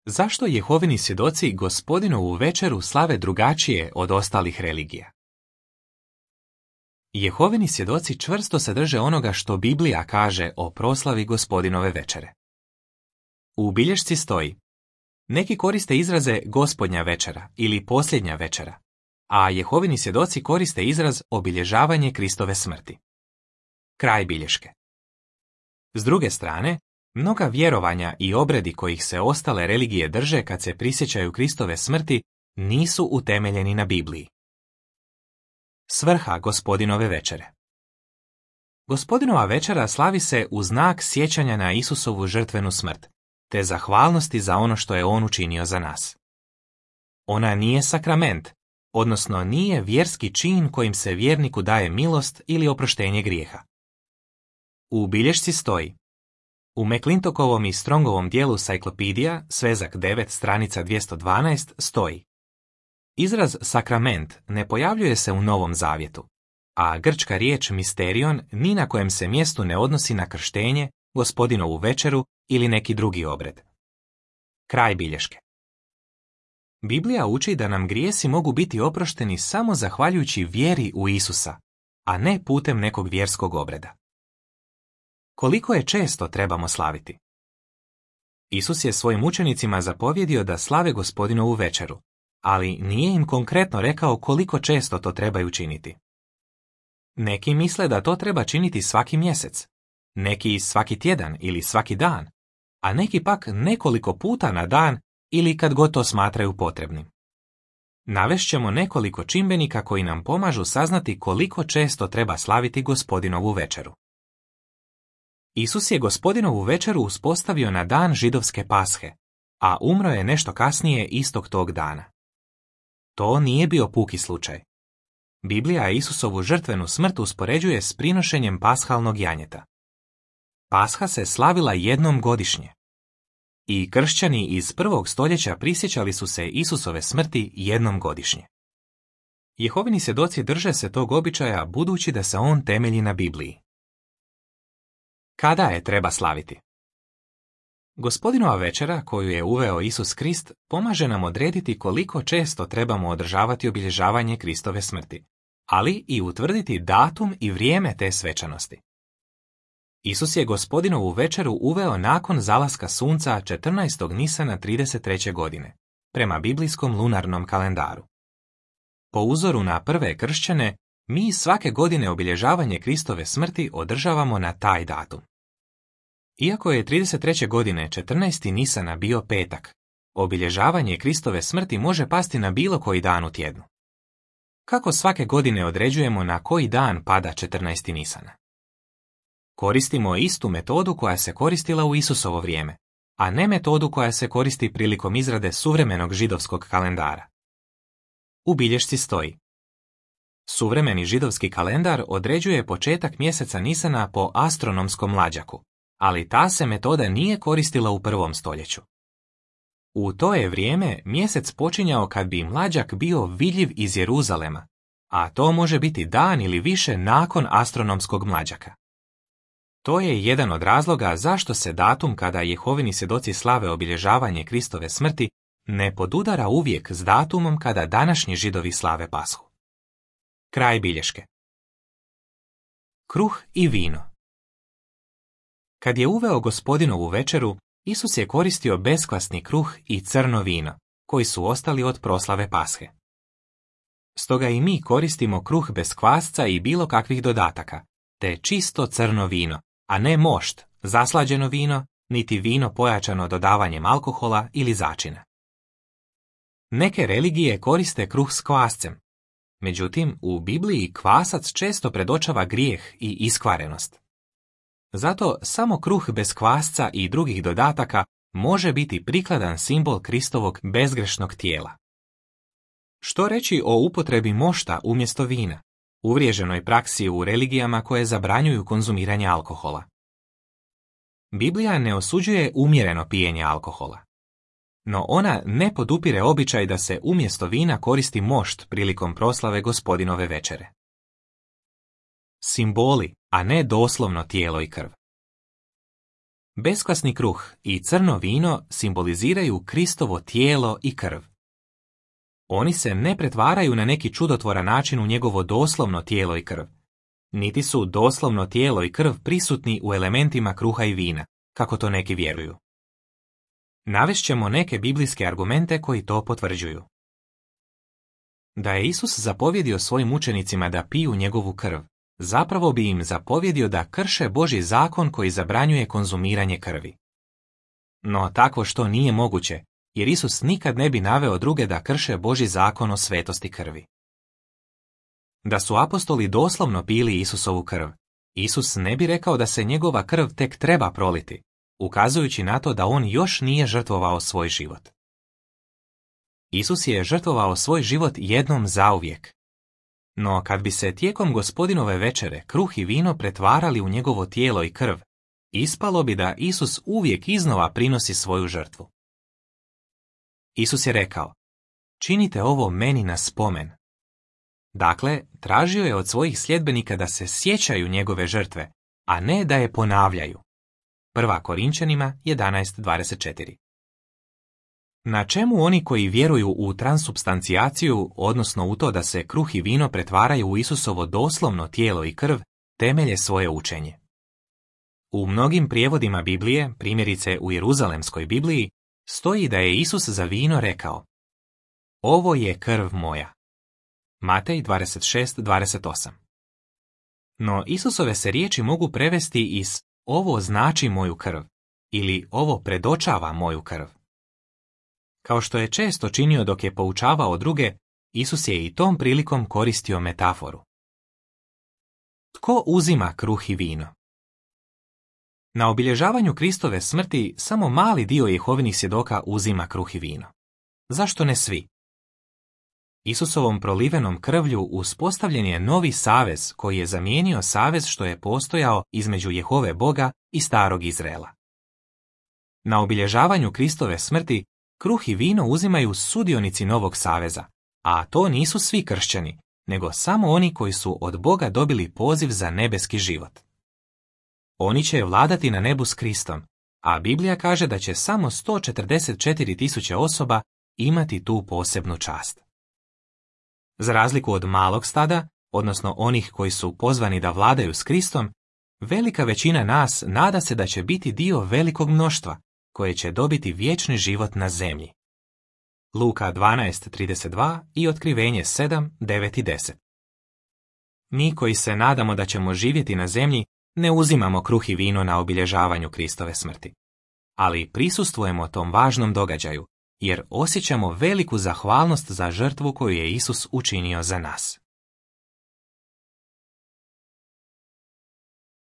Zašto Jehovini svjedoci Gospodinovu večeru slave drugačije od ostalih religija? Jehovini svjedoci čvrsto se drže onoga što Biblija kaže o proslavi Gospodinove večere. U bilješci stoji: neki koriste izraze Gospodnja večera ili posljednja večera, a Jehovini svjedoci koriste izraz obilježavanje Kristove smrti. Kraj bilješke. S druge strane, mnoga vjerovanja i obredi kojih se ostale religije drže kad se prisjećaju Kristove smrti nisu utemeljeni na Bibliji. Svrha Gospodinove večere. Gospodinova večera slavi se u znak sjećanja na Isusovu žrtvenu smrt, te zahvalnosti za ono što je On učinio za nas. Ona nije sakrament, odnosno nije vjerski čin kojim se vjerniku daje milost ili oproštenje grijeha. U bilješci stoji: u McClintokovom i Strongovom dijelu Cyclopedia, svezak 9, stranica 212, stoji: izraz sakrament ne pojavljuje se u Novom Zavjetu, a grčka riječ misterion ni na kojem se mjestu ne odnosi na krštenje, Gospodinovu večeru ili neki drugi obred. Kraj bilješke. Biblija uči da nam grijesi mogu biti oprošteni samo zahvaljujući vjeri u Isusa, a ne putem nekog vjerskog obreda. Koliko je često trebamo slaviti? Isus je svojim učenicima zapovjedio da slave Gospodinovu večeru, ali nije im konkretno rekao koliko često to trebaju činiti. Neki misle da to treba činiti svaki mjesec, neki svaki tjedan ili svaki dan, a neki pak nekoliko puta na dan ili kad god to smatraju potrebnim. Navešćemo nekoliko čimbenika koji nam pomažu saznati koliko često treba slaviti Gospodinovu večeru. Isus je Gospodinovu večeru uspostavio na dan židovske Pashe, a umro je nešto kasnije istog tog dana. To nije bio puki slučaj. Biblija Isusovu žrtvenu smrt uspoređuje s prinošenjem pashalnog janjeta. Pasha se slavila jednom godišnje. I kršćani iz 1. stoljeća prisjećali su se Isusove smrti jednom godišnje. Jehovini svjedoci drže se tog običaja budući da se on temelji na Bibliji. Kada je treba slaviti? Gospodinova večera, koju je uveo Isus Krist, pomaže nam odrediti koliko često trebamo održavati obilježavanje Kristove smrti, ali i utvrditi datum i vrijeme te svečanosti. Isus je Gospodinovu večeru uveo nakon zalaska sunca 14. Nisana 33. godine, prema biblijskom lunarnom kalendaru. Po uzoru na prve kršćane, mi svake godine obilježavanje Kristove smrti održavamo na taj datum. Iako je 33. godine 14. Nisana bio petak, obilježavanje Kristove smrti može pasti na bilo koji dan u tjednu. Kako svake godine određujemo na koji dan pada 14. Nisana? Koristimo istu metodu koja se koristila u Isusovo vrijeme, a ne metodu koja se koristi prilikom izrade suvremenog židovskog kalendara. U bilješci stoji: suvremeni židovski kalendar određuje početak mjeseca Nisana po astronomskom mlađaku, ali ta se metoda nije koristila u 1. stoljeću. U to je vrijeme mjesec počinjao kad bi mlađak bio vidljiv iz Jeruzalema, a to može biti dan ili više nakon astronomskog mlađaka. To je jedan od razloga zašto se datum kada Jehovini svjedoci slave obilježavanje Kristove smrti ne podudara uvijek s datumom kada današnji Židovi slave Pashu. Kraj bilješke. Kruh i vino. Kad je uveo Gospodinovu večeru, Isus je koristio beskvasni kruh i crno vino, koji su ostali od proslave Pashe. Stoga i mi koristimo kruh bez kvasca i bilo kakvih dodataka, te čisto crno vino, a ne mošt, zaslađeno vino, niti vino pojačano dodavanjem alkohola ili začina. Neke religije koriste kruh s kvascem, međutim u Bibliji kvasac često predočava grijeh i iskvarenost. Zato samo kruh bez kvasca i drugih dodataka može biti prikladan simbol Kristovog bezgrešnog tijela. Što reći o upotrebi mošta umjesto vina, uvriježenoj praksi u religijama koje zabranjuju konzumiranje alkohola? Biblija ne osuđuje umjereno pijenje alkohola, no ona ne podupire običaj da se umjesto vina koristi mošt prilikom proslave Gospodinove večere. Simboli, a ne doslovno tijelo i krv. Beskvasni kruh i crno vino simboliziraju Kristovo tijelo i krv. Oni se ne pretvaraju na neki čudotvoran način u njegovo doslovno tijelo i krv. Niti su doslovno tijelo i krv prisutni u elementima kruha i vina, kako to neki vjeruju. Navešćemo neke biblijske argumente koji to potvrđuju. Da je Isus zapovjedio svojim učenicima da piju njegovu krv, zapravo bi im zapovjedio da krše Božji zakon koji zabranjuje konzumiranje krvi. No takvo što nije moguće, jer Isus nikad ne bi naveo druge da krše Božji zakon o svetosti krvi. Da su apostoli doslovno pili Isusovu krv, Isus ne bi rekao da se njegova krv tek treba proliti, ukazujući na to da on još nije žrtvovao svoj život. Isus je žrtvovao svoj život jednom zauvijek. No kad bi se tijekom Gospodinove večere kruh i vino pretvarali u njegovo tijelo i krv, ispalo bi da Isus uvijek iznova prinosi svoju žrtvu. Isus je rekao: činite ovo meni na spomen. Dakle, tražio je od svojih sljedbenika da se sjećaju njegove žrtve, a ne da je ponavljaju. 1. Korinčanima 11:24. Na čemu oni koji vjeruju u transubstancijaciju, odnosno u to da se kruh i vino pretvaraju u Isusovo doslovno tijelo i krv, temelje svoje učenje? U mnogim prijevodima Biblije, primjerice u Jeruzalemskoj Bibliji, stoji da je Isus za vino rekao: ovo je krv moja. Matej 26:28. No Isusove se riječi mogu prevesti iz ovo znači moju krv ili ovo predočava moju krv. Kao što je često činio dok je poučavao druge, Isus je i tom prilikom koristio metaforu. Tko uzima kruh i vino? Na obilježavanju Kristove smrti samo mali dio Jehovinih svjedoka uzima kruh i vino. Zašto ne svi? Isusovom prolivenom krvlju uspostavljen je novi savez koji je zamijenio savez što je postojao između Jehove Boga i starog Izraela. Na obilježavanju Kristove smrti kruh i vino uzimaju sudionici novog saveza, a to nisu svi kršćani, nego samo oni koji su od Boga dobili poziv za nebeski život. Oni će vladati na nebu s Kristom, a Biblija kaže da će samo 144.000 osoba imati tu posebnu čast. Za razliku od malog stada, odnosno onih koji su pozvani da vladaju s Kristom, velika većina nas nada se da će biti dio velikog mnoštva, koje će dobiti vječni život na zemlji. Luka 12:32 i Otkrivenje 7:9 i 10. Mi koji se nadamo da ćemo živjeti na zemlji, ne uzimamo kruh i vino na obilježavanju Kristove smrti. Ali prisustvujemo tom važnom događaju, jer osjećamo veliku zahvalnost za žrtvu koju je Isus učinio za nas.